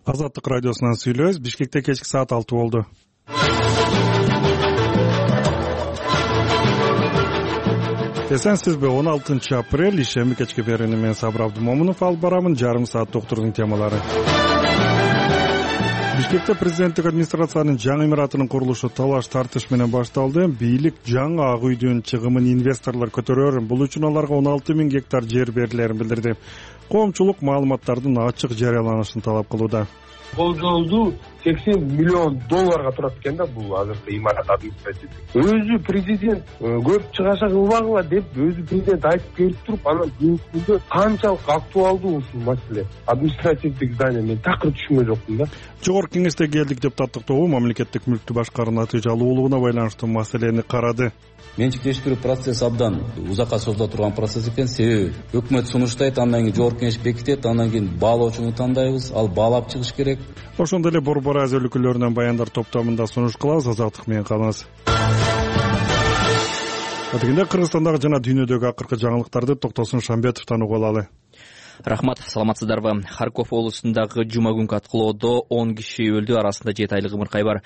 Азаттык радиосунан сүйлөбүз. Бишкекте кечки саат 6 болду. Эсенсизби? 16 апрель ишемби кечки берүүнү мен Сабыр Абдымомунов алып барамын. Жарым саат доктордун темалары. Бишкекте президенттик администрациянын жаңы имаратынын курулушу талаш тартыш менен башталды. Бийлик жаңы ак үйдүн чыгымын инвесторлор көтөрөр, бул үчүн аларга 16 000 гектар жер берилерин билдирди. Коомчулук маалыматтардын ачык жарыяланышын талап кылууда. Болжолду $80 миллион турат экен да бул азыркы имарат административдик. Өзү президент көп чыгаша кылбагыла деп өзү президент айтып келип туруп, анан бүгүнкү күндө канчалык актуалдуу ушул маселе административдик здание мен такыр түшүнгөн жокмун да. Жогорку кеңештеги элдик депутаттык тобу мамлекеттик мүлктү башкаруу натыйжалуулугуна байланыштуу маселени карады. Менчиктештирүү процесси абдан узакка созула турган процесс экен. Себеби өкмөт сунуштайт, андан кийин жогорку кеңеш бекитет, андан кийин баалоочуну тандайбыз, ал баалап чыгыш керек. Ошондой эле Борбор Азия өлкөлөрүнөн баяндар топтомунда сунуш кылабыз. Азаттык менен калыңыз. Атыгында Кыргызстандагы жана дүйнөдөгү акыркы жаңылыктарды Токтосун Шамбетовдон угуп алалы. Рахмат, саламатсыздарбы? Харьков облусундагы жума күнкү аткылоодо 10 киши өлдү, арасында 7 айлык ымыркай бар.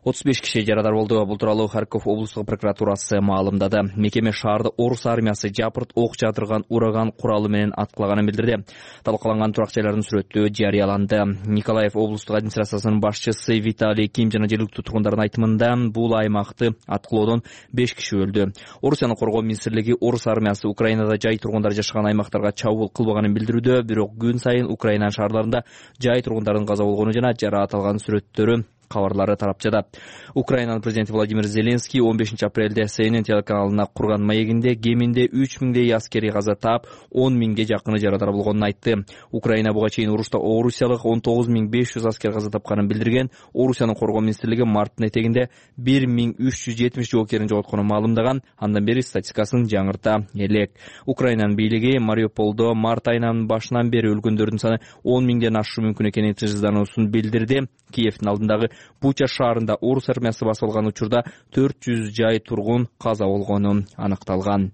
35 киши жарадар болду. Бул тууралуу Харьков облустук прокуратурасы маалымдады. Мекеме шаарды орус армиясы жапырт ок жаадырган ураган куралы менен аткылаганын билдирди. Талкаланган турак жайлардын сүрөтү жарыяланды. Николаев облустук администрациясынын башчысы Виталий Ким жана жергиликтүү тургундардын айтымында бул аймакты аткылоодон 5 киши өлдү. Орусияны коргоо министрлиги орус армиясы Украинада жай тургундар жашаган аймактарга чабуул кылбаганын билдирүүдө, бирок күн сайын Украина шаарларында жай тургундардын каза болгону жана жараат алган сүрөттөрү кабарлары тарап жатат. Украинанын президенти Владимир Зеленский 15 апрелде CNN телеканалына курган маегинде кеминде 3000 аскери каза таап, 10 000 жакыны жарадар болгонун айтты. Украина буга чейин урушта орусиялык 19500 аскер каза тапканын билдирген. Орусиянын коргоо министрлиги марттын этегинде 1370 жоокерин жоготконун маалымдаган. Андан бери статистикасын жаңырта элек. Украинанын бийлиги Мариуполдо март айынын башынан бери өлгөндөрдүн саны 10 000ден ашышы мүмкүн экенин тыжыздануусун билдирди. Киевдин алдындагы Буча шаарында орус армиясы басып алган учурда 400 жай тургун каза болгону аныкталган.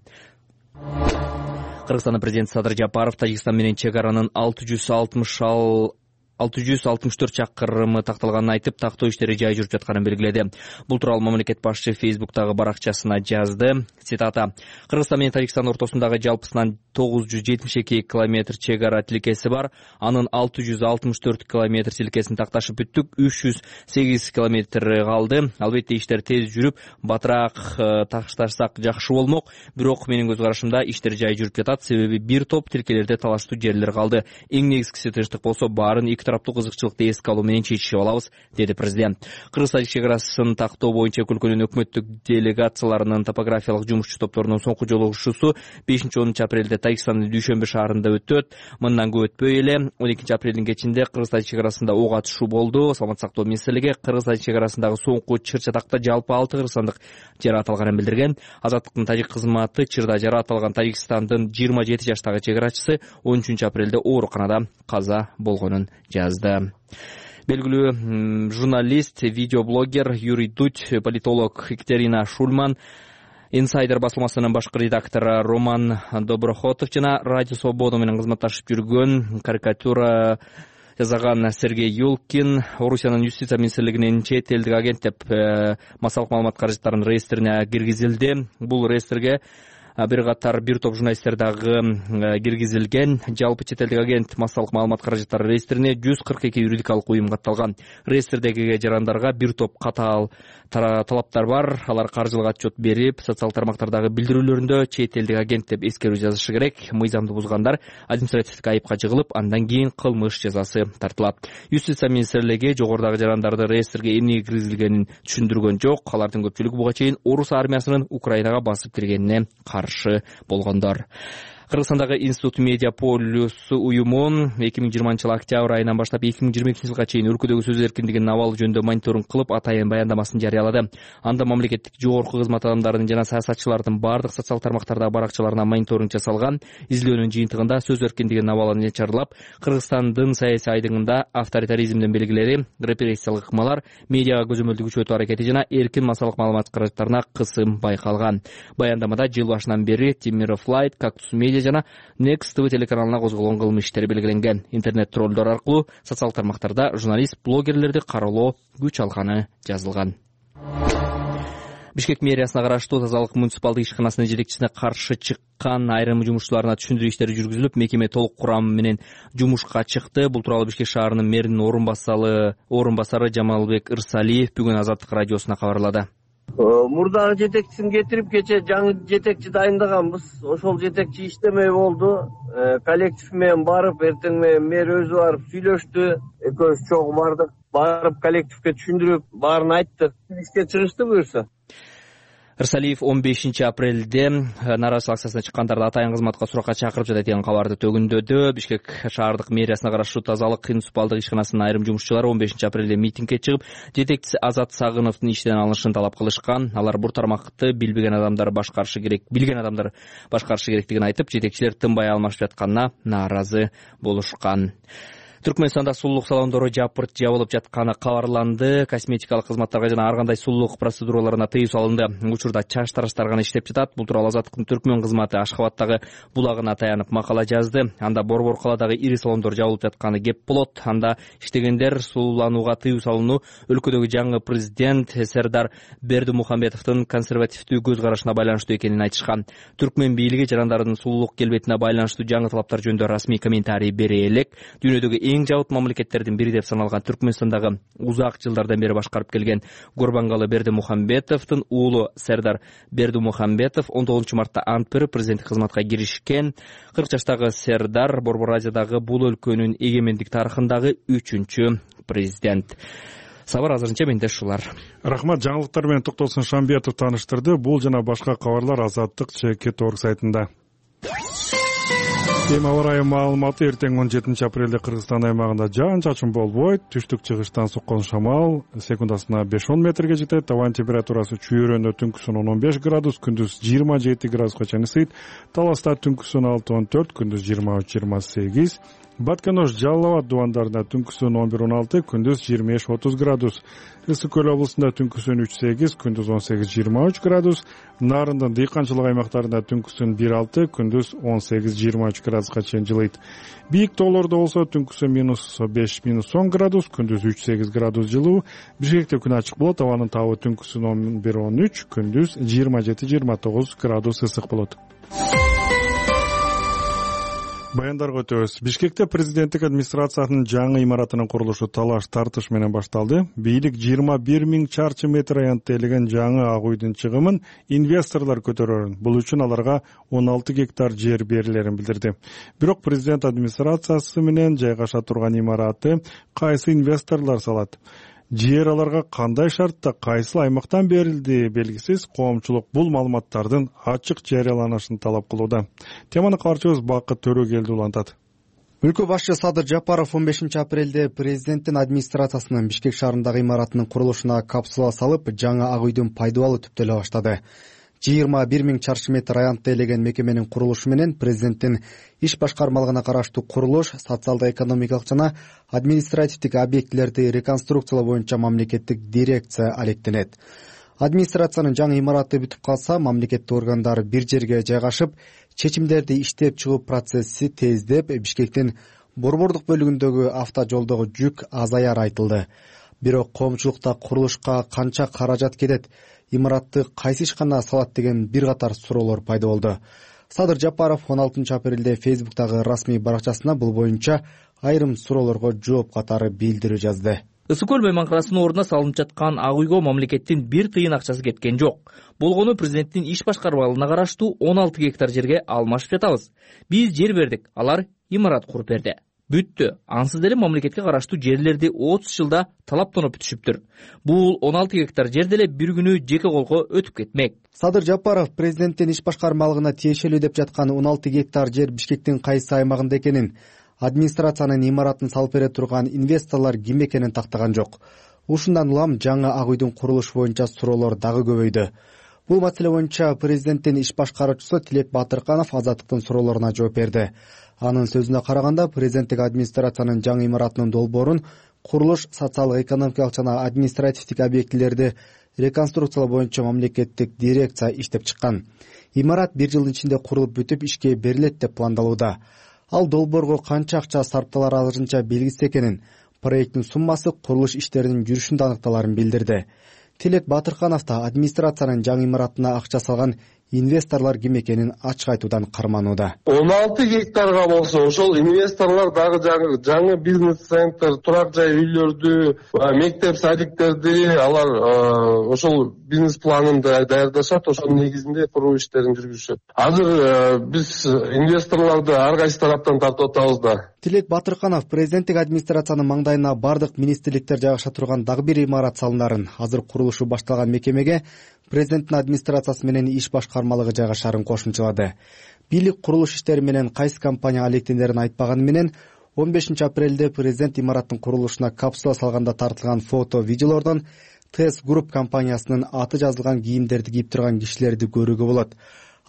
Кыргызстандын президенти Садыр Жапаров Тажикстан менен чек аранын 664 чакырымы такталганын айтып, тактоо иштери жай жүрүп жатканын белгиледи. Бул тууралуу мамлекет башчы Фейсбуктагы баракчасына жазды. Цитата: Кыргызстан менен Тажикстан ортосундагы жалпысынан 972 километр чек ара тилкеси бар. Анын 664 километр тилкесин такташып бүттүк. 308 километр калды. Албетте иштер тез жүрүп, батыраак ташташсак жакшы болмок. Бирок менин көз карашымда иштер жай жүрүп жатат. Себеби бир топ тилкелерде талаштуу жерлер калды. Эң негизгиси тынчтык болсо, баарын эки тараптуу кызыкчылыкты эске алуу менен чечишип алабыз, деди президент. Кыргыз-Тажик чек арасын тактоо боюнча өлкөнүн өкмөттүк делегацияларынын топографиялык жумушчу топторунун соңку жолугушуусу 5-10 апрелде Тажикстандын Дүйшөмбү шаарында өтөт. Мындан көп өтпөй эле 12 апрелдин кечинде Кыргыз-Тажик чек арасында ок атышуу болду. Саламаттык сактоо министрлиги Кыргыз-Тажик чек арасындагы соңку чыр-чатакта жалпы 6 кыргызстандык жараат алганын билдирген. Азаттыктын тажик кызматы чырда жараат алган Тажикстандын 27 жаштагы чек арачысы 13 апрелде ооруканада каза болгонун жазды. Белгилүү журналист, видеоблогер Юрий Дудь, политолог Екатерина Шульман, Инсайдер басылмасынын башкы редактору Роман Доброхотов жана Радио Свобода менен кызматташып жүргөн карикатура жазган Сергей Юлкин Орусиянын юстиция министрлигинин чет элдик агент деп массалык маалымат каражаттарынын реестрине киргизилди. Бул реестрге бир катар бир топ журналисттер дагы киргизилген. Жалпы чет элдик агент массалык маалымат каражаттары реестрине 142 юридикалык уюм катталган. Реестрдеги жарандарга бир топ катаал талаптар бар. Алар каржылык отчет берип, социалдык тармактардагы билдирүүлөрүндө чет элдик агент деп эскерүү жазышы керек. Мыйзамды бузгандар административдик айыпка жыгылып, андан кийин кылмыш жазасы тартылат. Юстиция министрлиги жогорудагы жарандарды реестрге эмне киргизилгенин түшүндүргөн жок. Алардын көпчүлүгү буга чейин орус армиясынын Украинага басып киргенине каршы болгондор. Кыргызстандагы Институт Медиа Полюс уюму 2020 жыл октябрь айынан баштап 2022 жылга чейин өлкөдөгү сөз эркиндигинин абалы жөнүндө мониторинг кылып, атайын баяндамасын жарыялады. Анда мамлекеттик жогорку кызмат адамдарынын жана саясатчылардын бардык социалдык тармактардагы баракчаларына мониторинг жасалган. Изилдөөнүн жыйынтыгында сөз эркиндигинин абалы начарлап, Кыргызстандын саясий айдыңында авторитаризмдин белгилери, репрессиялык ыкмалар, медиага көзөмөлдү күчөтүү аракети жана эркин массалык маалымат каражаттарына кысым байкалган. Баяндамада жыл башынан бери Темиров Лайт, Кактус Медиа жана Next TV телеканалына козголгон кылмыш иштери белгиленген. Интернет троллдор аркылуу социалдык тармактарда журналист, блогерлерди кароолоо күч алганы жазылган. Бишкек мэриясына караштуу Тазалык муниципалдык ишканасынын жетекчисине каршы чыккан айрым жумушчуларына түшүндүрүү иштери жүргүзүлүп, мекеме толук курамы менен жумушка чыкты. Бул тууралуу Бишкек шаарынын мэринин орун басары Жамалбек Ырсалиев бүгүн Азаттык радиосуна кабарлады. Мурдагы жетекчисин кетирип, кече жаңы жетекчи дайындаганбыз. Ошол жетекчи иштемей болду. Коллектив менен барып, эртең менен мэр өзү барып сүйлөштү. Экөөбүз чогуу бардык. Барып коллективге түшүндүрүп, баарын айттык. Ишке чыгышты буюрса. Ырсалиев 15 апрелде нааразычылык акциясына чыккандарды атайын кызматка суракка чакырып жатат деген кабарды төгүндөдү. Бишкек шаардык мэриясына караштуу Тазалык муниципалдык ишканасынын айрым жумушчулары 15 апрелде митингге чыгып, жетекчиси Азат Сагыновдун иштен алынышын талап кылышкан. Алар бул тармакты билген адамдар башкарышы керектигин айтып, жетекчилер тынбай алмашып жатканына нааразы болушкан. Түркмөнстанда сулуулук салондору жабылып жатканы кабарланды. Косметикалык кызматтарга жана ар кандай сулуулук процедураларына тыюу салынды. Учурда чач тараштар иштеп жатат. Бул тууралуу Азаттыктын Түркмөн кызматы Ашхабадтагы булагына таянып макала жазды. Анда борбор каладагы ири салондор жабылып жатканы кеп болот. Анда иштегендер сулууланууга тыюу салууну өлкөдөгү жаңы президент Сердар Бердимухамбетовдун консервативдүү көз карашына байланыштуу экенин айтышкан. Түркмөн бийлиги жарандардын сулуулук келбетине байланыштуу жаңы талаптар жөнүндө расмий комментарий бере элек. Дүйнөдөгү эң жабыт мамлекеттердин бири деп саналган Түркмөнстандагы узак жылдардан бери башкарып келген Гурбангалы Бердимухамбетовдун уулу Сердар Бердимухамбетов 19 мартта ант берип президенттик кызматка киришкен. 40 жаштагы Сердар Борбор Азиядагы бул өлкөнүн эгемендик тарыхындагы 3-чү президент. Сабар азырынча менде ушулар. Рахмат. Жаңылыктар менен Токтосун Шамбетов тааныштырды. Бул жана башка кабарлар Азаттык ЧК.org сайтында. Аба ырайы маалыматы. Эртең 17 апрелде Кыргызстан аймагында жаан-чачын болбойт. Түштүк-чыгыштан соккон шамал секундасына 5-10 метрге жетет. Табан температурасы чүйөрөндө түнкүсүн 15 градус, күндүз 27 градуска чейин ысыйт. Таласта түнкүсүн 6-14, күндүз 23-28. Батканош, Жалал Абад дубандарында түнкүсүн 11-16, күндүз 25-30 градус. Ысык Көл облусунда түнкүсүн 3-8, күндүз 18-23 градус. Нарындын дыйканчылык аймактарында түнкүсүн 1-6, күндүз 18-23 градуска чейин жылыйт. Бийик тоолордо болсо түнкүсүн -5-10 градус, күндүз 3-8 градус жылуу. Бишкекте күн ачык болот, абанын табы түнкүсүн 11-13, күндүз 27-29 градус ысык болот. Баяндарга өтөбүз. Бишкекте президенттик администрациянын жаңы имаратынын курулушу талаш тартыш менен башталды. Бийлик 21 000 чарчы метр аянтты элеген жаңы ак үйдүн чыгымын инвесторлор көтөрөрүн. Бул үчүн аларга 16 гектар жер берилерин билдирди. Бирок президент администрациясы менен жайгаша турган имараты кайсы инвесторлор салат? Жер аларга кандай шартта, кайсы аймактан берилди белгисиз. Коомчулук бул маалыматтардын ачык жарыяланышын талап кылууда. Теманы кабарчыбыз Бакыт Төрөгелди улантат. Өлкө башчы Садыр Жапаров 15 апрелде президенттин администрациясынын Бишкек шаарындагы имаратынын курулушуна капсула салып, жаңы ак үйдүн пайдалуу түптөлө баштады. 21 000 чарчы метр аянтты элеген мекеменин курулушу менен президенттин иш башкармалыгына караштуу курулуш, социалдык-экономикалык жана административдик объектилерди реконструкциялоо боюнча мамлекеттик дирекция алектенет. Администрациянын жаңы имараты бүтүп калса, мамлекеттик органдар бир жерге жайгашып, чечимдерди иштеп чыгуу процесси тездеп, Бишкектин борбордук бөлүгүндөгү автожолдогу жүк азаяр айтылды. Бирок коомчулукта курулушка канча каражат кетет, имаратты кайсы ишкана салат деген бир катар суроолор пайда болду. Садыр Жапаров 16 апрелде Фейсбуктагы расмий баракчасына бул боюнча айрым суроолорго жооп катары билдирүү жазды. Ысык Көл мейманканасынын ордуна салынып жаткан ак үйгө мамлекеттин бир тыйын акчасы кеткен жок. Болгону президенттин иш башкармалыгына караштуу 16 гектар жерге алмашып жатабыз. Биз жер бердик, алар имарат куруп берди. Бүттү. Ансыз деле мамлекетке караштуу жерлерди 30 жылда талаптанып бүтүшүптүр. Бул 16 гектар жер деле бир күнү жеке колго өтүп кетмек. Садыр Жапаров президенттин иш башкармалыгына тиешелүү деп жаткан 16 гектар жер Бишкектин кайсы аймагында экенин, администрациянын имаратын салып бере турган инвесторлор ким экенин тактаган жок. Ушундан улам жаңы ак үйдүн курулушу боюнча суроолор дагы көбөйдү. Бул маселе боюнча президенттин иш башкаруучусу Тилек Батырканов Азаттыктын суроолоруна жооп берди. Анын сөзүнө караганда, президенттик администрациянын жаңы имаратынын долбоорун курулуш, социалдык-экономикалык жана административдик объектилерди реконструкциялоо боюнча мамлекеттик дирекция иштеп чыккан. Имарат 1 жылдын ичинде курулуп бүтүп ишке берилет деп пландалууда. Ал долбоорго канча акча сарпталары азырынча белгисиз экенин, проекттин суммасы курулуш иштеринин жүрүшүндө аныкталарын билдирди. Тилек Батырканов да администрациянын жаңы имаратына акча салган инвесторлор ким экенин ачык айтуудан карманууда. 16 гектарга болсо ошол инвесторлор дагы жаңы бизнес-центр, турак жай үйлөрдү, мектеп садиктерди алар ошол бизнес планын даярдашат, ошонун негизинде куруу иштерин жүргүзүшөт. Азыр биз инвесторлорду ар кайсы тараптан тартып атабыз да. Тилек Батырканов президенттик администрациянын маңдайына бардык министрликтер жайгаша турган дагы бир имарат салынарын, азыр курулушу башталган мекемеге президенттин администрациясы менен иш башкармалыгы жайгашарын кошумчалады. Бийлик курулуш иштери менен кайсы компания алектендерин айтпаганы менен 15 апрелде президент имараттын курулушуна капсула салганда тартылган фото-видеолордон ТС Групп компаниясынын аты жазылган кийимдерди кийип турган кишилерди көрүүгө болот.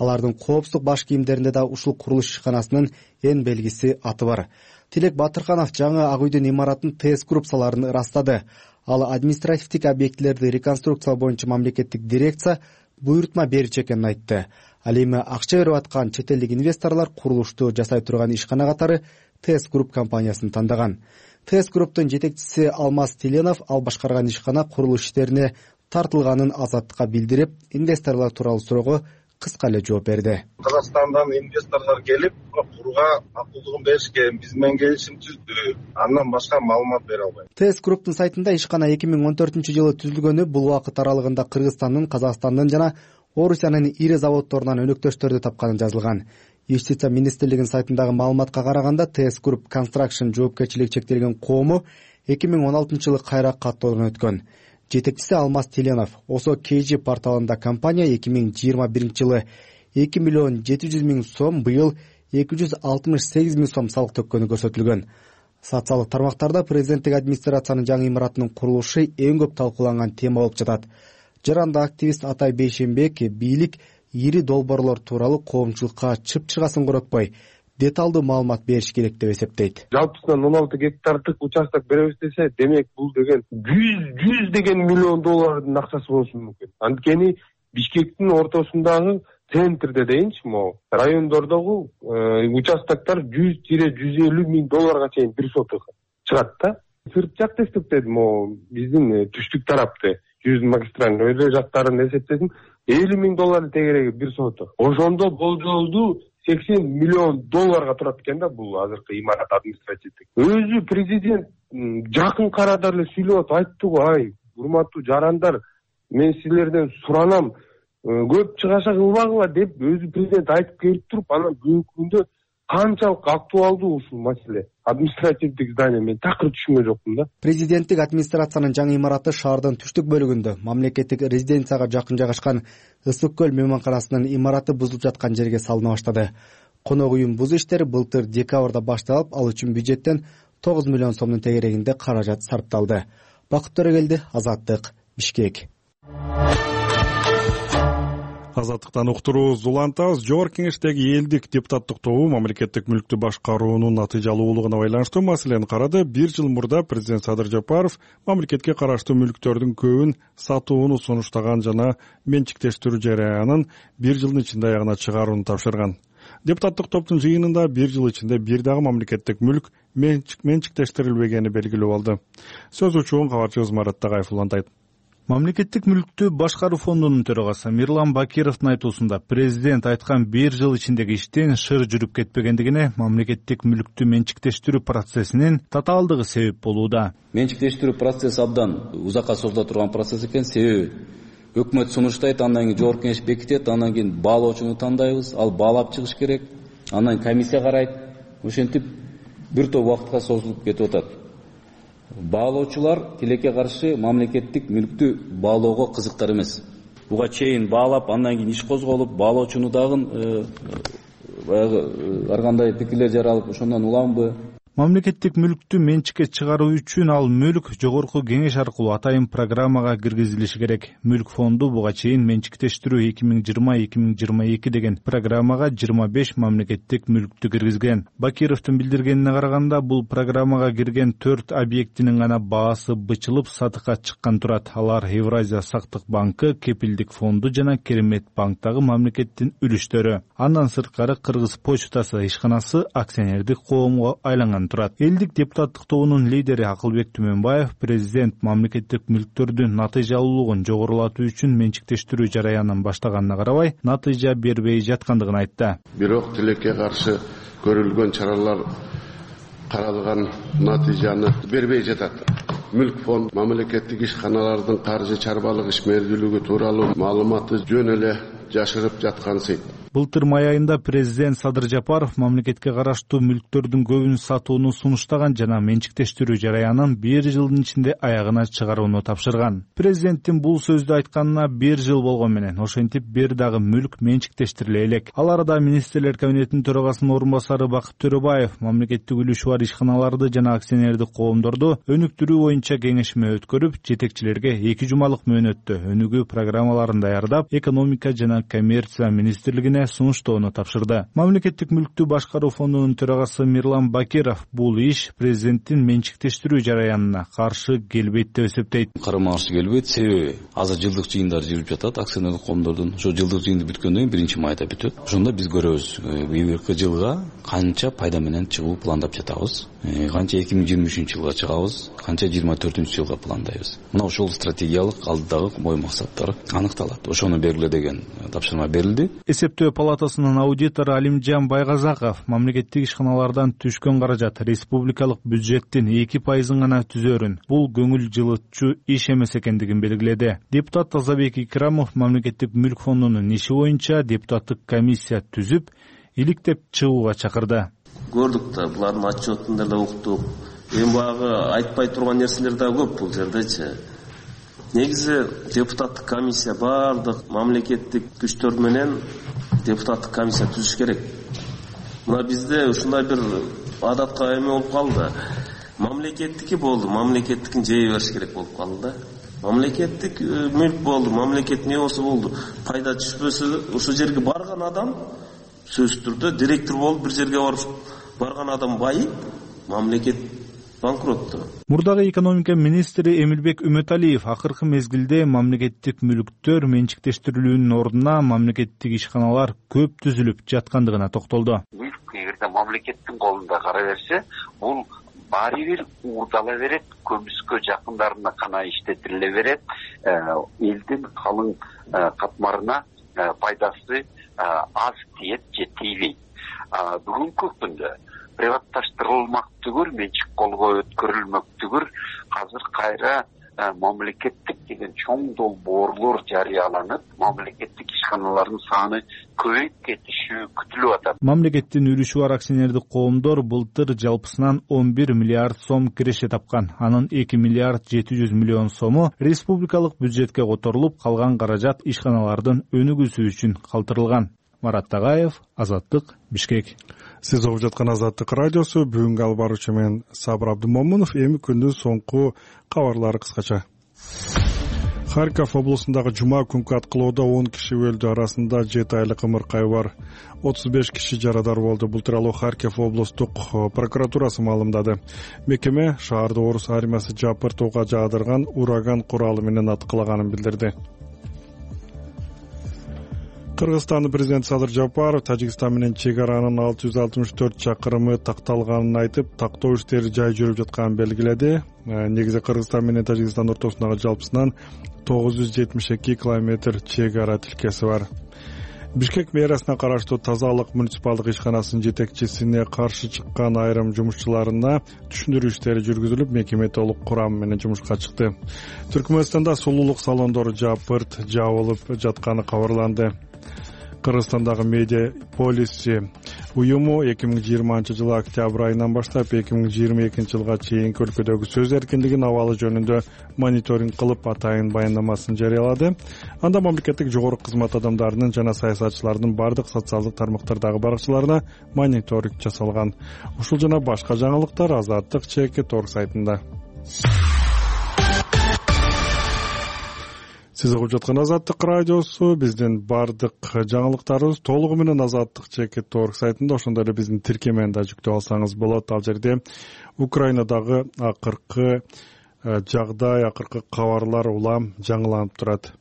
Алардын коопсуздук баш кийимдеринде да ушул курулуш ишканасынын эн белгиси аты бар. Тилек Батырканов жаңы Ак үйдүн имаратын ТС Групп саларын ырастады. Ал административдик объектилерди реконструкциялоо боюнча мамлекеттик дирекция буйрутма берчү экенин айтты. Ал эми акча берип аткан чет элдик инвесторлор курулушту жасай турган ишкана катары ТС Групп компаниясын тандаган. ТС Групптун жетекчиси Алмаз Теленов ал башкарган ишкана курулуш иштерине тартылганын Азаттыкка билдирип, инвесторлор тууралуу суроого кыска эле жооп берди. Кыргызстандан инвесторлор келип, курууга макулдугун беришкен, биз менен келишим түздү. Андан башка маалымат бере албайм. ТС Групптун сайтында ишкана 2014-жылы түзүлгөнү, бул убакыт аралыгында Кыргызстандын, Казакстандын жана Орусиянын ири заводдорунан өнөктөштөрдү тапканы жазылган. Юстиция министрлигинин сайтындагы маалыматка караганда, ТС Групп Construction жоопкерчилиги чектелген коому 2016-жылы кайра каттоодон өткөн. Жетекчиси Алмаз Теленов Осо KG порталында компания 2021-жылы 2 миллион 700 миң сом, быйыл 268 миң сом салык төккөнү көрсөтүлгөн. Социалдык тармактарда президенттик администрациянын жаңы имаратынын курулушу эң көп талкууланган тема болуп жатат. Жаранда активист Атай Бейшенбек бийлик ири долбоорлор тууралуу коомчулукка чыпчыгасын коротпой, деталдуу маалымат бериш керек деп эсептейт. Жалпысынан 16 гектардык участок беребиз десе, демек бул деген 100 деген миллион доллардын акчасы болушу мүмкүн. Анткени Бишкектин ортосундагы центрде дейинчи, могу райондордогу участоктор 100-150 миң долларга чейин бир соток чыгат да. Сырт жакты эсептедим, могу биздин түштүк тарапты 100 магистраль өйдө жактарын эсептесем 50 миң доллар тегереги бир соток. Ошондо болжолдуу 80 миллион долларга турат экен да бул азыркы имарат административдик. Өзү президент жакын карада эле сүйлөп айтты го, ай, урматтуу жарандар, мен силерден суранам, көп чыгаша кылбагыла деп өзү президент айтып келип туруп, анан бүгүнкү күндө канчалык актуалдуу ушул маселе. Административдик здание мен такыр түшүнгөн жокмун да. Президенттик администрациянын жаңы имараты шаардын түштүк бөлүгүндө мамлекеттик резиденцияга жакын жайгашкан Ысык көл мейманканасынын имараты бузулуп жаткан жерге салына баштады. Конок үйүн бузуу иштери былтыр декабрда башталып, ал үчүн бюджеттен 9 миллион сомдун тегерегинде каражат сарпталды. Бакыт Төрөгелди, Азаттык, Бишкек. Азаттыктан уктурубуз улантабыз. Жогорку кеңештеги элдик депутаттык тобу мамлекеттик мүлктү башкаруунун натыйжалуулугуна байланыштуу маселени карады. 1 жыл мурда президент Садыр Жапаров мамлекетке караштуу мүлктөрдүн көбүн сатууну сунуштаган жана менчиктештирүү жараянын 1 жылдын ичинде аягына чыгарууну тапшырган. Депутаттык топтун жыйынында 1 жыл ичинде бир дагы мамлекеттик мүлк менчиктештирилбегени белгилүү болду. Сөз учуун кабарчыбыз Марат Тагаев улантат. Мамлекеттик мүлктү башкаруу фондунун төрагасы Мирлан Бакировдун айтуусунда президент айткан 1 жыл ичиндеги иштин шыр жүрүп кетпегендигине мамлекеттик мүлктү менчиктештирүү процессинин татаалдыгы себеп болууда. Менчиктештирүү процесси абдан узакка созула турган процесс экен, себеби өкмөт сунуштайт, андан кийин жогорку кеңеш бекитет, андан кийин баалоочуну тандайбыз, ал баалап чыгыш керек, андан кийин комиссия карайт, ошентип бир топ убакытка созулуп кетип атат. Баалоочулар тилекке каршы мамлекеттик мүлктү баалоого кызыктар эмес. Буга чейин баалап, андан кийин иш козголуп, баалоочуну дагы баягы ар кандай пикирлер жаралып, ошондон уламбы? Мамлекеттик мүлктү менчикке чыгаруу үчүн ал мүлк жогорку кеңеш аркылуу атайын программага киргизилиши керек. Мүлк фонду буга чейин менчиктештирүү 2020-2022 деген программага 25 мамлекеттик мүлктү киргизген. Бакировдун билдиргенине караганда, бул программага кирген 4 объектинин гана баасы бычылып сатыкка чыккан турат. Алар Евразия сактык банкы, Кепилдик фонду жана Керемет банктагы мамлекеттин үлүштөрү. Андан сырткары Кыргыз почтасы ишканасы акционердик коомго айланган турат. Элдик депутаттык тобунун лидери Акылбек Түмөнбаев президент мамлекеттик мүлктөрдүн натыйжалуулугун жогорулатуу үчүн менчиктештирүү жараянын баштаганына карабай, натыйжа бербей жаткандыгын айтты. Бирок тилекке каршы көрүлгөн чаралар каралган натыйжаны бербей жатат. Мүлк фонд мамлекеттик ишканалардын каржы чарбалык ишмердүүлүгү тууралуу маалыматты жөн эле жашырып жаткансыйт. Былтыр май айында президент Садыр Жапаров мамлекетке караштуу мүлктөрдүн көбүн сатууну сунуштаган жана менчиктештирүү жараянын 1 жылдын ичинде аягына чыгарууну тапшырган. Президенттин бул сөздү айтканына 1 жыл болгон менен ошентип бир дагы мүлк менчиктештириле элек. Ал арада министрлер кабинетинин төрагасынын орун басары Бакыт Төрөбаев мамлекеттик үлүшү бар ишканаларды жана акционердик коомдорду өнүктүрүү боюнча кеңешме өткөрүп, жетекчилерге 2 жумалык мөөнөттө өнүгүү программаларын даярдап, экономика жана коммерция министрлигине сунуштоону тапшырды. Мамлекеттик мүлктү башкаруу фондунун төрагасы Мирлан Бакиров бул иш президенттин менчиктештирүү жараянына каршы келбейт деп эсептейт. Карама каршы келбейт, себеби азыр жылдык жыйындар жүрүп жатат акционерлик коомдордун. Ошо жылдык жыйынды бүткөндөн кийин 1-майда бүтөт. Ошондо биз көрөбүз, быйылкы жылга канча пайда менен чыгуу пландап жатабыз, канча 2023-жылга чыгабыз, канча 2024-жылга пландайбыз. Мына ошол стратегиялык алдыдагы ой максаттар аныкталат. Ошону бергиле деген тапшырма берилди. Эсептөө палатасынын аудитору Алимжан Байгазаков мамлекеттик ишканалардан түшкөн каражат республикалык бюджеттин 2% гана түзөрүн, бул көңүл жылытчу иш эмес экендигин белгиледи. Депутат Тазабек Икрамов мамлекеттик мүлк фондунун иши боюнча депутаттык комиссия түзүп, иликтеп чыгууга чакырды. Көрдүк да, булардын отчетунда да уктук. Эми багы айтпай турган нерселер да көп бул жердечи. Негизи депутаттык комиссия бардык мамлекеттик күчтөр менен депутаттык комиссия түзүш керек. Мына бизде ушундай бир адатка эме болуп калды. Мамлекеттики болду, мамлекеттикин жей бериш керек болуп калды да. Мамлекеттик мүлк болду, мамлекет не болсо болду. Пайда түшпөсө ошол жерге барган адам сөзсүз түрдө директор болуп бир жерге барган адам байып, мамлекет банкротту. Мурдагы экономика министри Эмилбек Үмөталиев акыркы мезгилде мамлекеттик мүлктөр менчиктештирилүүнүн ордуна мамлекеттик ишканалар көп түзүлүп жаткандыгына токтолду. Мүлк эгерде мамлекеттин колунда кала берсе, бул баары бир уурдала берет, көмүскө жакындарына гана иштетиле берет, элдин калың катмарына пайдасы аз тиет же тийбейт. Бүгүнкү күндө приватташтырылмак түгүр, менчик колго өткөрүлмөк түгүр, азыр кайра мамлекеттик деген чоң долбоорлор жарыяланып, мамлекеттик ишканалардын саны көбөйүп кетиши күтүлүп атат. Мамлекеттин үлүшү бар акционердик коомдор былтыр жалпысынан 11 миллиард сом киреше тапкан. Анын 2 миллиард 700 миллион сому республикалык бюджетке которулуп, калган каражат ишканалардын өнүгүүсү үчүн калтырылган. Марат Тагаев, Азаттык, Бишкек. Сиз угуп жаткан Азаттык радиосу. Бүгүнкү алып баруучу мен Сабыр Абдымомунов. Эми күндүн соңку кабарлары кыскача. Харьков облусундагы жума күнкү аткылоодо 10 киши өлдү, арасында 7 айлык ымыркай бар. 35 киши жарадар болду. Бул тууралуу Харьков облустук прокуратурасы маалымдады. Мекеме шаарды орус армиясы жапыртууга жаадырган ураган куралы менен аткылаганын билдирди. Кыргызстандын президенти Садыр Жапаров Тажикстан менен чек аранын 664 чакырымы такталганын айтып, тактоо иштери жай жүрүп жатканын белгиледи. Негизи Кыргызстан менен Тажикстан ортосундагы жалпысынан 972 километр чек ара тилкеси бар. Бишкек мэриясына караштуу Тазалык муниципалдык ишканасынын жетекчисине каршы чыккан айрым жумушчуларына түшүндүрүү иштери жүргүзүлүп, мекеме толук курам менен жумушка чыкты. Түркмөнстанда сулуулук салондору жапырт жабылып жатканы кабарланды. Кыргызстандагы медиа полиси уюму 2020 октябрь айынан баштап 2022 жылга чейинки өлкөдөгү сөз эркиндигинин абалы жөнүндө мониторинг кылып атайын баяндамасын жарыялады. Анда мамлекеттик жогорку кызмат адамдарынын жана саясатчылардын бардык социалдык тармактардагы баракчыларына мониторинг жасалган. Ушул жана башка жаңылыктар Азаттык ЧК.org сайтында. Сиз угуп жаткан Азаттык радиосу, биздин бардык жаңылыктарыбыз толугу менен Азаттык ЧК.org сайтында, ошондой эле биздин тиркемени да жүктөп алсаңыз болот. Ал жерде Украинадагы акыркы жагдай, акыркы кабарлар улам жаңыланып турат.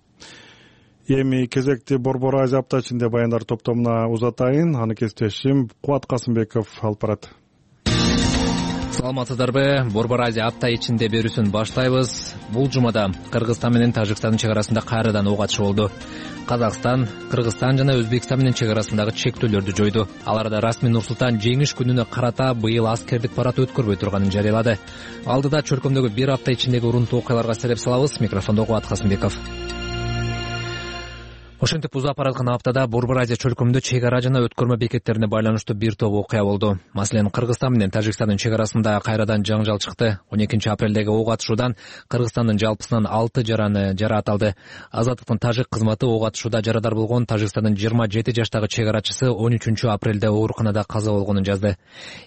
Эми кезекти Борбор Азия апта ичинде баяндар топтомуна узатайын. Аны кесиптешим Кубат Касымбеков алып барат. Саламатсыздарбы? Борбор Азия апта ичинде берүүсүн баштайбыз. Бул жумада Кыргызстан менен Тажикстандын чек арасында кайрадан ок атышы болду. Казакстан, Кыргызстан жана Өзбекстан менен чек арасындагы чектөөлөрдү жойду. Аларда расмий Нур-Султан жеңиш күнүнө карата быйыл аскердик парад өткөрбөй турганын жарыялады. Алдыда чөлкөмдөгү бир апта ичиндеги урунтуу окуяларга сереп салабыз. Микрофондо Кубат Касымбеков. Ошентип узап бараткан аптада Борбор Азия чөлкөмүндө чек ара жана өткөрмө бекеттерине байланыштуу бир топ окуя болду. Маселен, Кыргызстан менен Тажикстандын чек арасында кайрадан жаңжал чыкты. 12 апрелдеги ок атышуудан Кыргызстандын жалпысынан 6 жараны жараат алды. Азаттыктын тажик кызматы ок атышууда жарадар болгон Тажикстандын 27 жаштагы чек арачысы 13 апрелде ооруканада каза болгонун жазды.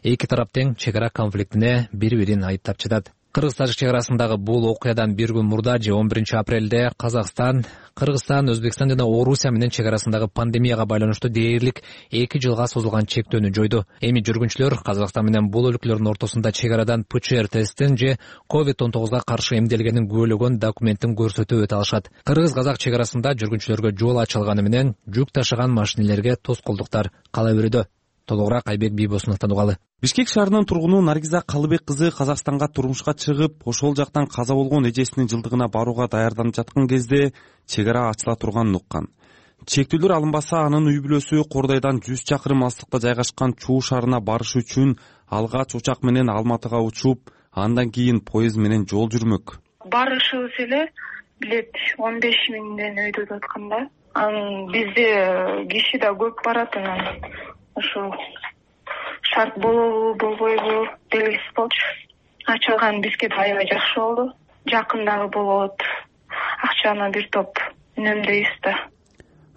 Эки тарап тең чек ара конфликтине бири-бирин айыптап жатат. Кыргыз-Тажик чек арасындагы бул окуядан бир күн мурда 11 апрелде Казакстан, Кыргызстан, Өзбекстан жана Орусия менен чек арасындагы пандемияга байланыштуу дээрлик 2 жылга созулган чектөөнү жойду. Эми жүргүнчүлөр Казакстан менен бул өлкөлөрдүн ортосунда чек арадан ПЦР тесттин же COVID-19 каршы эмделгенин күбөлөгөн документтин көрсөтүп өтө алышат. Кыргыз-казак чек арасында жүргүнчүлөргө жол ачылганы менен жүк ташыган машинелерге тоскоолдуктар кала берүүдө. Толугураак Айбек Бийбосуновдон угалы. Бишкек шаарынын тургуну Наргиза Калыбек кызы Казакстанга турмушка чыгып, ошол жактан каза болгон эжесинин жылдыгына барууга даярданып жаткан кезде чек ара ачыла турганын уккан. Чектөөлөр алынбаса, анын үй бүлөсү Кордойдон 100 чакырым алыстыкта жайгашкан Чуу шаарына барыш үчүн алгач учак менен Алматыга учуп, андан кийин поезд менен жол жүрмөк. Барышыбыз эле билет 15 миңден өйдө атканда. Бизде киши да көп барат, ошо шарт болобу болбойбу белгисиз болчу. Ачылган бизге да аябай жакшы болду. Жакындагы болот. Акчаны бир топ үнөмдөйбүз да.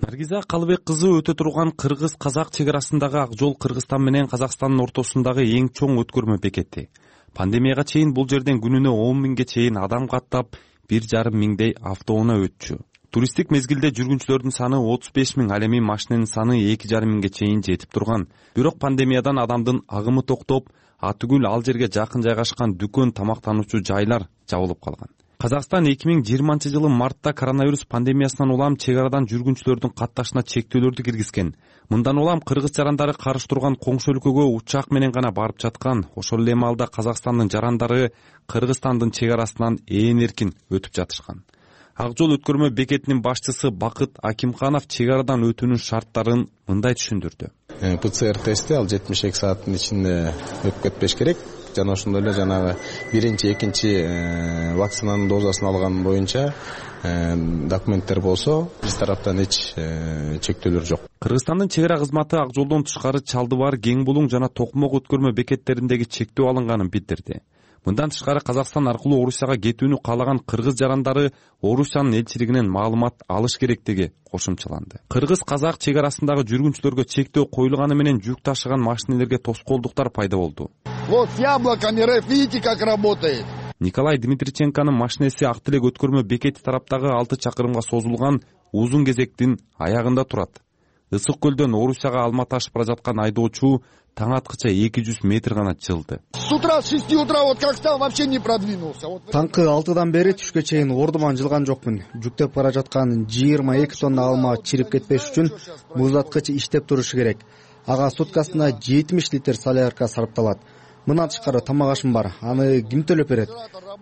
Наргиза Калыбек кызы өтө турган кыргыз-казак чек арасындагы ак жол Кыргызстан менен Казакстандын ортосундагы эң чоң өткөрмө бекети. Пандемияга чейин бул жерден күнүнө 10 миңге чейин адам каттап, 1,5 миңдей автоунаа өтчү. Туристтик мезгилде жүргүнчүлөрдүн саны 35 миң, ал эми машиненин саны 2,5 миңге чейин жетип турган. Бирок пандемиядан адамдын агымы токтоп, атүгүл ал жерге жакын жайгашкан дүкөн, тамактануучу жайлар жабылып калган. Казакстан 2020 жылы мартта коронавирус пандемиясынан улам чек арадан жүргүнчүлөрдүн катташына чектөөлөрдү киргизген. Мындан улам кыргыз жарандары каршы турган коңшу өлкөгө учак менен гана барып жаткан. Ошол эле маалда Казакстандын жарандары Кыргызстандын чек арасынан ээн эркин өтүп жатышкан. Ак жол өткөрмө бекетинин башчысы Бакыт Акимханов чек арадан өтүүнүн шарттарын мындай түшүндүрдү. ПЦР тести ал 72 сааттын ичинде өтүп кетпеш керек. Жана ошондой эле жанагы биринчи, экинчи вакцинанын дозасын алган боюнча документтер болсо, биз тараптан эч чектөөлөр жок. Кыргызстандын чек ара кызматы ак жолдон тышкары Чалдыбар, Кең Булуң жана Токмок өткөрмө бекеттериндеги чектөө алынганын билдирди. Мындан тышкары Казакстан аркылуу Орусияга кетүүнү каалаган кыргыз жарандары Орусиянын элчилигинен маалымат алыш керектиги кошумчаланды. Кыргыз-казак чек арасындагы жүргүнчүлөргө чектөө коюлганы менен жүк ташыган машинелерге тоскоолдуктар пайда болду. Вот с яблоками РФ, видите, как работает. Николай Дмитриченконун машинеси Ак Тилек өткөрмө бекети тараптагы 6 чакырымга созулган узун кезектин аягында турат. Ысык көлдөн Орусияга Алматы ашып бара жаткан айдоочу таң аткыча 200 метр гана жылды. С утра, с 6 утра, вот как стал, вообще не продвинулся. Таңкы 6-дан бери түшкө чейин ордуман жылган жокмун. Жүктөп бара жаткан 22 тонна алма чирип кетпеш үчүн муздаткыч иштеп турушу керек. Ага суткасына 70 литр солярка сарпталат. Мындан тышкары тамак ашым бар. Аны ким төлөп берет?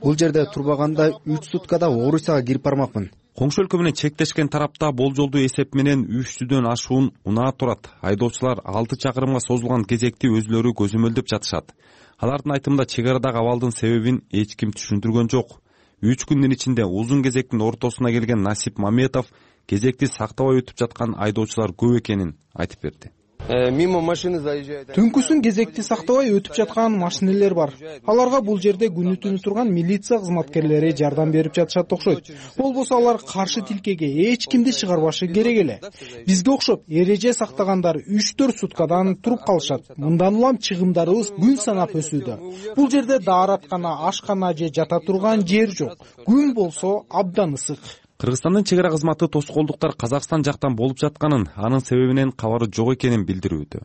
Бул жерде турбаганда 3 суткада Орусияга кирип бармакмын. Коңшу өлкө менен чектешкен тарапта болжолдуу эсеп менен 300дөн ашуун унаа турат. Айдоочулар 6 чакырымга созулган кезекти өзүлөрү көзөмөлдөп жатышат. Алардын айтымында чек арадагы абалдын себебин эч ким түшүндүргөн жок. 3 күндүн ичинде узун кезектин ортосуна келген Насип Маметов кезекти сактабай өтүп жаткан айдоочулар көп экенин айтып берди. Түнкүсүн кезекти сактабай өтүп жаткан машинелер бар. Аларга бул жерде күнү түнү турган милиция кызматкерлери жардам берип жатышат окшойт. Болбосо алар каршы тилкеге эч кимди чыгарбашы керек эле. Бизге окшоп эреже сактагандар 3-4 суткадан туруп калышат. Мындан улам чыгымдарыбыз күн санап өсүүдө. Бул жерде даараткана, ашкана же жата турган жер жок. Күн болсо абдан ысык. Кыргызстандын чек ара кызматы тоскоолдуктар Казакстан жактан болуп жатканын, анын себебинен кабары жок экенин билдирүүдө.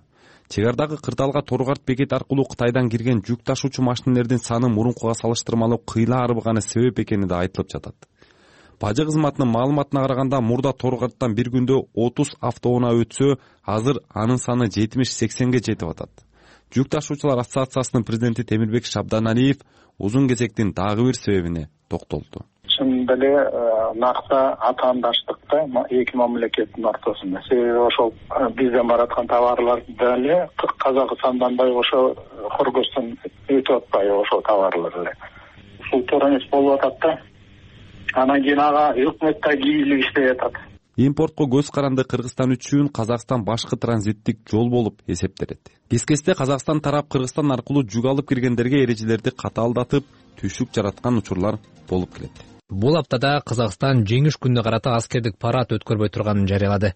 Чек арадагы кырдаалга Торгарт бекети аркылуу Кытайдан кирген жүк ташуучу машинелердин саны мурункуга салыштырмалуу кыйла арбыганы себеп экени да айтылып жатат. Бажы кызматынын маалыматына караганда, мурда Торгарттан bir күндө 30 автоунаа өтсө, азыр анын саны 70-80ге жетип атат. Жүк ташуучулар ассоциациясынын президенти Темирбек Шабданалиев узун кезектин дагы бир себебине токтолду. Чын эле накта атаандаштыкта эки мамлекеттин ортосунда. Себеби ошол бизден бараткан товарлар деле Казакстандан ошо Кыргызстан өтүп атпайбы ошол товарлар эле. Ушул төрөмөс болуп атат да. Анан кийин ага өкмөт да кийилип иштеп атат. Импортко көз каранды Кыргызстан үчүн Казакстан башкы транзиттик жол болуп эсептелет. Кескесте Казакстан тарап Кыргызстан аркылуу жүк алып киргендерге эрежелерди катаалдатып, түшүк жараткан учурлар болуп келет. Бул аптада Казакстан жеңиш күнүнө карата аскердик парад өткөрбөй турганын жарыялады.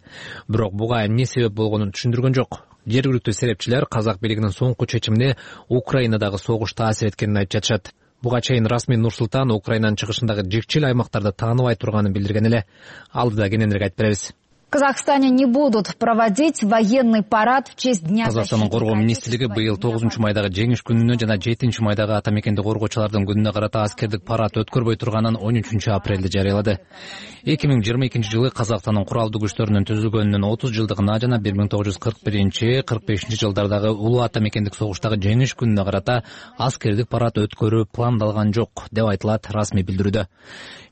Бирок буга эмне себеп болгонун түшүндүргөн жок. Жергиликтүү серепчилер казак бийлигинин соңку чечимине Украинадагы согуш таасир эткенин айтып жатышат. Буга чейин расмий Нур-Султан Украинанын чыгышындагы жекчил аймактарды тааныбай турганын билдирген эле. Алдыда кененирээк айтып беребиз. В Казахстане не будут проводить военный парад в честь Дня защиты. Казакстандын коргоо министрлиги быйыл 9-майдагы жеңиш күнүнө жана 7-майдагы ата мекенди коргоочулардын күнүнө карата аскердик парад өткөрбөй турганын 13-апрелде жарыялады. 2022-жылы Казакстандын куралдуу күчтөрүнүн түзүлгөнүнүн 30 жылдыгына жана 1941-45 жылдардагы улуу ата мекендик согуштагы жеңиш күнүнө карата аскердик парад өткөрүү пландалган жок деп айтылат расмий билдирүүдө.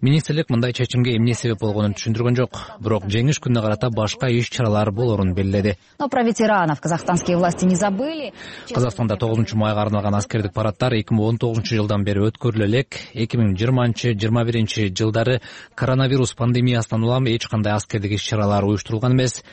Министрлик мындай чечимге эмне себеп болгонун түшүндүргөн жок, бирок жеңиш күнүнө карата башка иш-чаралар болорун белгиледи. Но про ветеранов казахстанские власти не забыли. Казакстанда 9-майга арналган аскердик параддар 2019 жылдан бери өткөрүлө элек. 2020-21 жылдары коронавирус пандемиясынан улам эч кандай аскердик иш-чаралар уюштурулган эмес.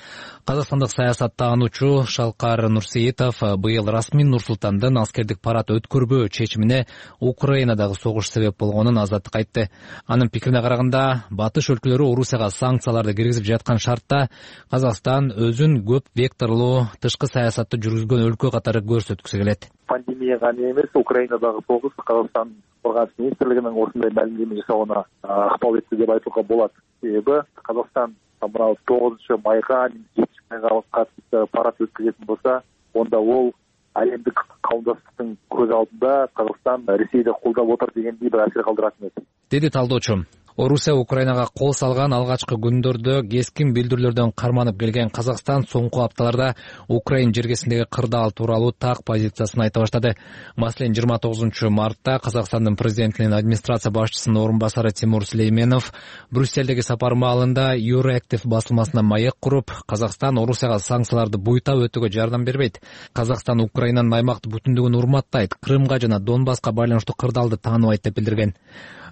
Казакстандык саясаттануучу Шалкар Нурсеитов быйыл расмий Нур-Султандын аскердик парад өткөрбөө чечимине Украинадагы согуш себеп болгонун азаттыкка айтты. Анын пикирине караганда, батыш өлкөлөрү Орусияга санкцияларды киргизип жаткан шартта Казакстан өзүн көп векторлуу тышкы саясатты жүргүзгөн өлкө катары көрсөткүсү келет. Пандемия гана эмес, Украинадагы согуш Казакстан Коргоонуч министрлигинин осундай маалимдеме жасоогуна ыкпал этти деп айтууга болот. Себеби Казакстан мына 9-майга, 7-майга катышып парад өткөзөтүн болсо, онда ол әлемдик кауымдаштыктын көз алдында Казакстан Ресейди колдоп отур дегендей бир асир калтырат эмес. Деди талдоочу. Орусия Украинага кол салган алгачкы күндөрдө кескин билдирүүлөрдөн карманып келген Казакстан соңку апталарда Украин жергесиндеги кырдаал тууралуу так позициясын айта баштады. Маселен, 29-мартта Казакстандын президентинин администрация башчысынын орун басары Тимур Сүлейменов Брюссельдеги сапар маалында Euroactiv басылмасына маек куруп, Казакстан Орусияга санкцияларды буйтап өтүүгө жардам бербейт. Казакстан Украинанын аймактык бүтүндүгүн урматтайт, Крымга жана Донбасска байланыштуу кырдаалды тааныбайт деп билдирген.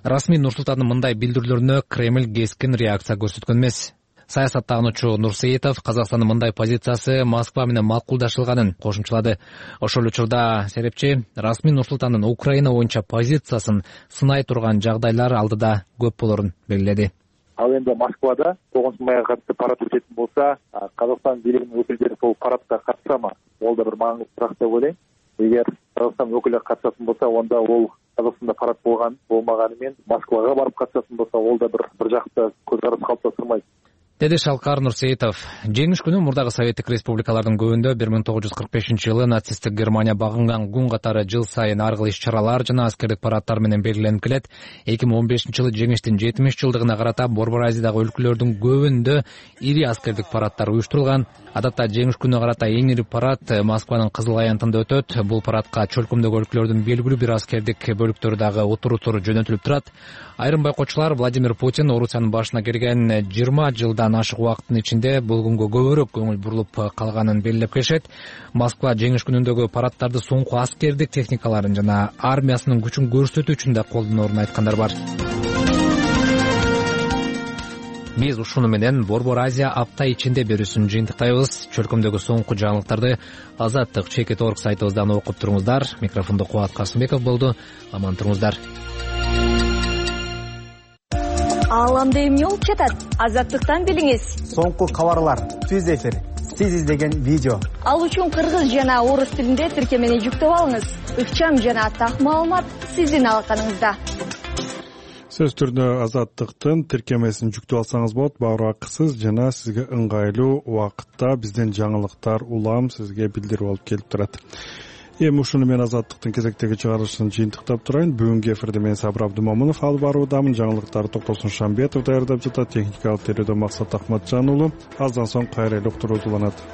Расмий Нур-Султандын мындай билдирүүлөрүнө Кремль кескин реакция көрсөткөн эмес. Саясаттануучу Нурсеитов Казакстандын мындай позициясы Москва менен макулдашылганын кошумчалады. Ошол учурда серепчи расмий Нур-Султандын Украина боюнча позициясын сынай турган жагдайлар алдыда көп болорун белгиледи. Ал эми Москвада 9-майга катышып парад өтөтүн болсо, Казакстан бийлигинин өкүлдөрү сол парадка катышамы? Ол да бир маңыздуураак деп ойлойм. Эгер Казакстан өкүлү катышатын болсо, онда ол Казакстанда парад болмаганы менен Москвага барып катышатын болсо, ол да бир жакта көз караш калыптастырмайт. Деди Шалкар Нурсеитов. Жеңиш күнү мурдагы Советтик республикалардын көбүндө 1945-жылы нацисттик Германия багынган күн катары жыл сайын ар кыл иш-чаралар жана аскердик парадтар менен белгиленип келет. 2015-жылы жеңиштин 70 жылдыгына карата Борбор Азиядагы өлкөлөрдүн көбүндө ири аскердик парадтар уюштурулган. Адатта жеңиш күнүнө карата эң ири парад Москванын Кызыл аянтында өтөт. Бул парадка чөлкөмдөгү өлкөлөрдүн белгилүү бир аскердик бөлүктөрү дагы отурусур жөнөтүлүп турат. Айрым байкоочулар Владимир Путин Орусиянын башына келген 20 жылдан ашык убакыттын ичинде бул күнгө көбүрөөк көңүл бурулуп калганын белгилеп келишет. Москва жеңиш күнүндөгү парадтарды соңку аскердик техникаларын жана армиясынын күчүн көрсөтүү үчүн да колдоноорун айткандар бар. Биз ушуну менен Борбор Азия апта ичинде берүүсүн жыйынтыктайбыз. Чөлкөмдөгү соңку жаңылыктарды Азаттык Чекит.org сайтыбыздан окуп туруңуздар. Микрофондо Кубат Касымбеков болду. Аман туруңуздар. Ааламда эмне болуп жатат? Азаттыктан билиңиз. Соңку кабарлар, түз эфир, сиз издеген видео. Ал үчүн кыргыз жана орус тилинде тиркемени жүктөп алыңыз. Ыкчам жана так маалымат сиздин алаканыңызда. Сөз түрдө Азаттыктын тиркемесин жүктөп алсаңыз болот. Баары акысыз жана сизге ыңгайлуу убакытта бизден жаңылыктар улам сизге билдирип алып келип турат. Эми ушуну мен Азаттыктын кезектеги чыгарылышын жыйынтыктап турайын. Бүгүнкү эфирде мен Сабыр Абдымомунов алып баруудамын. Жаңылыктарды Токтосун Шамбетов даярдап жатат. Техникалык терүүдө Максат Акматжан уулу. Аздан соң кайра эле уктуруу уланат.